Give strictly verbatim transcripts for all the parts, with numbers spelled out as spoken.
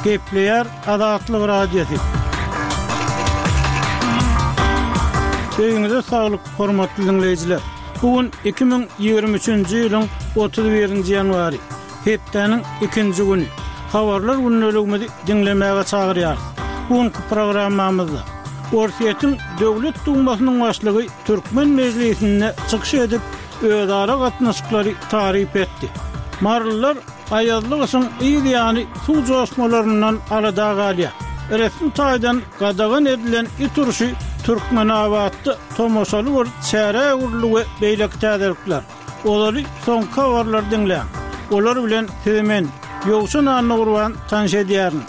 Gepleýär Azatlyk Radiosy. Öýüňize saglyk, hormatly diňleýjiler. Bu gün iki müň ýigrimi üçünji ýylyň otuz birinji ýanwary, hepdäniň ikinji güni. Habarlar gündeligimizi diňlemäge çagyrýarys. Bu günki programmamyzda Orsýetiň Döwlet Dumasynyň başlygy Türkmen mejlisinde çykyş edip, özara gatnaşyklary taryp etdi. Marylylar aýazly gyşyň yz ýany suw joşmalaryndan alada galýar. Resmi taýdan gadagan edilen it urşy Türkmenabatda tomaşaly bir çärä öwrüldi we beýleki täzelikler. Ozaly soňky habarlary diňläň. Olar bilen sizi men, Ýowşan Annagurban tanyş edýärin.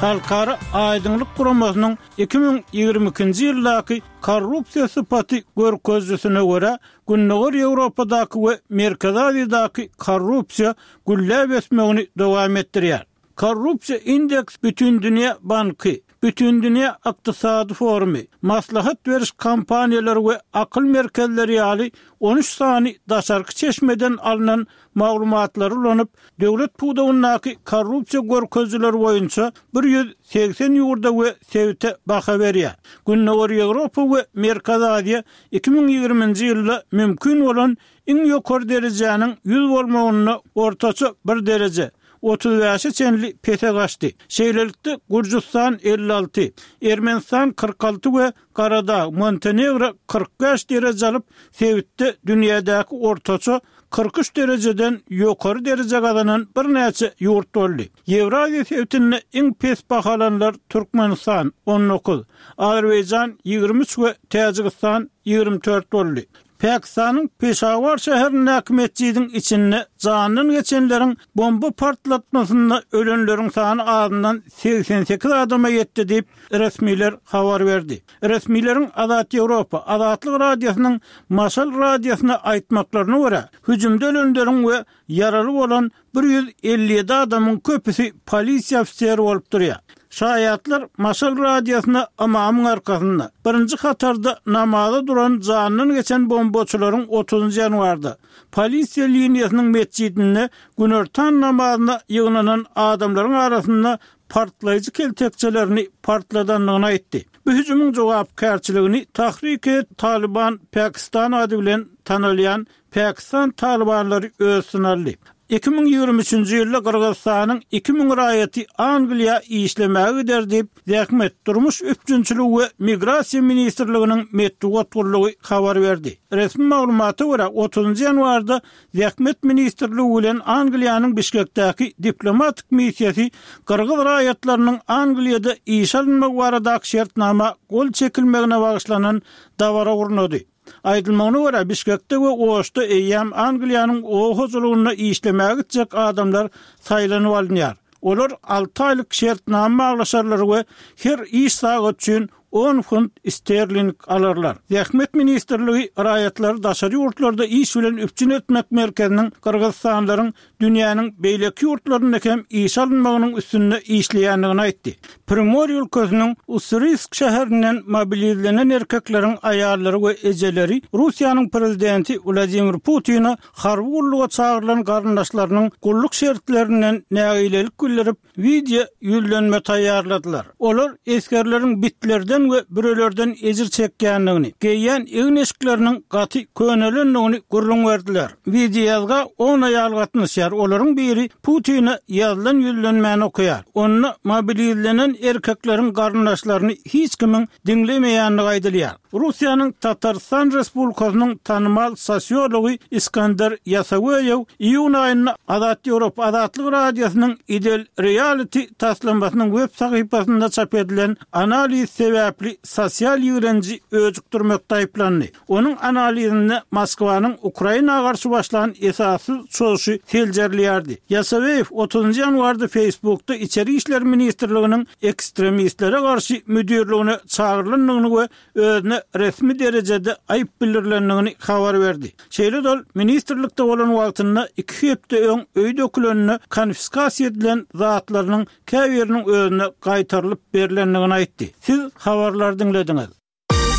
Halkara aýdyňlyk guramasynyň iki müň ýigrimi ikinji ýyldaky korrupsiýa sypaty görkezijisine görä, Gündogar Ýewropadaky we Merkezi Aziýadaky korrupsiýa gülläp ösmegini dowam etdirýär. Korrupsiýa indeks Bütindünýä banky, Bütindünýä ykdysady forumy, maslahat beriş kompaniýalary we akyl merkezleri ýaly on üç sany daşarky çeşmeden alnan maglumatlary ulanyp, döwlet pudagyndaky korrupsiýa görkezijileri boýunça bir ýüz segsen ýurda we sebite baha berýär. Gündogar Ýewropa we Merkezi Aziýa iki müň ýigriminji ýylda mümkin bolan iň ýokary derejäniň ýüz bolmagynda ortaça bir dereje, otuz bäşe çenli pese gaçdy. Şeýlelikde, Gürjüstan elli alty, Ermenistan kyrk alty we Garadag, Montenegro kyrk bäş dereje alyp, sebitde dünýädäki ortaça kyrk üç derejeden ýokary dereje gazanan birnäçe ýurt boldy. Ýewraziýa sebitinde iň pes bahalanlar Türkmenistan, on dokuz, Azerbaýjan, ýigrimi üç we Täjigistan, ýigrimi dört boldy. Pakistanyň Peşawar şäherindäki metjidiň içinde jandan geçenleriň bomba partlatmasynda ölenleriň sany azyndan segsen sekiz adama ýetdi diýip, resmiler habar berdi. Resmileriň Azat Ýewropa, Azatlyk Radiosynyň Maşal radiosyna aýtmaklaryna görä, hüjümde ölenleriň we ýaraly bolan bir ýüz elli ýedi adamyň köpüsi polisiýa ofiseri bolup durýar. Şaýatlar Maşal radiosyna ymamyň arkasynda, birinji hatarda namaza duran jandan geçen bombaçylaryň otuzynjy ýanwarda polisiýa liniýasynyň metjidinde günortan namazyna ýygnanan adamlaryň arasynda partlaýjy keltekçelerini partladandygyny aýtdy. Bu hüjümiň jogapkärçiligini Tahrik-e Taliban Pakistan ady bilen tanalýan Pakistan talybanlary öz üstüne aldy. Iki müň ýigrimi üçünji ýylda Gyrgyzystanyň iki müň raýaty Angliýa işlemäge gider diýip, Zähmet, durmuş üpjünçiligi we migrasiýa ministrliginiň metbugat gullugy habar berdi. Resmi maglumata görä, otuzynjy ýanwarda Zähmet ministrligi bilen Angliýanyň Bişkekdäki diplomatik missiýasy gyrgyz raýatlarynyň Angliýada işe alynmagy baradaky şertnama gol çekilmegine bagyşlanan dabara gurnady. Aýdylmagyna görä, Bişkekde we Oşda eýýäm Angliýanyň oba hojalygynda işlemäge gitjek adamlar saýlanyp alynýar. Olar alty aýlyk şertnama baglaşarlar we her iş sagat üçin on funt sterling alarlar. Zähmet ministrligi raýatlary daşary ýurtlarda iş bilen üpjün etmek merkeziniň gyrgyzystanlylaryň dünýäniň beýleki ýurtlarynda hem işe alynmagynyň üstünde işleýändigini aýtdy. Primorýe ülkesiniň Ussuriýsk şäherinden mobilizlenen erkekleriň aýallary we ejeleri Russiýanyň prezidenti Wladimir Putine harby gulluga çagyrylan garyndaşlarynyň gulluk şertlerinden nägilelik bildirip, wideo ýüzlenme taýýarladylar. Olar esgerleriň bitlerden we bürelerden ejir çekýändigini, geýýän egin-eşikleriniň gaty könelendigini gürrüň berdiler. Wideoýazga on aýal gatnaşýar, olaryň biri Putine ýazylan ýüzlenmäni okaýar. Onda mobilizlenen erkekleriň garyndaşlaryny hiç kimiň diňlemeýändigi aýdylýar. Russiýanyň Tatarystan Respublikasynyň tanymal sosiology Iskender Ýasaweýew iýun aýynda Azat Ýewropa Azatlyk Radiosynyň Idel Reality taslamasynyň web sahypasynda çap edilen analiz sebäpli sosial ýigrenji öjükdirmekde aýyplandy. Onuň analizinde Moskwanyň Ukraina garşy başlan esassyz çozuşy seljerilýärdi. Ýasaweýew otuzynjy ýanwarda Facebookda Içeri işler ministrliginiň ekstremistlere garşy müdirligine çagyrylandygyny we özüne resmi derejede aýyp bildirilendigini habar berdi. Şeýle-de ol ministrlikde bolan wagtynda iki hepde öň öý döküleninde konfiskasiýa edilen zatlarynyň käbiriniň özüne gaýtarylyp berlendigini aýtdy. Siz habarlary diňlediňiz.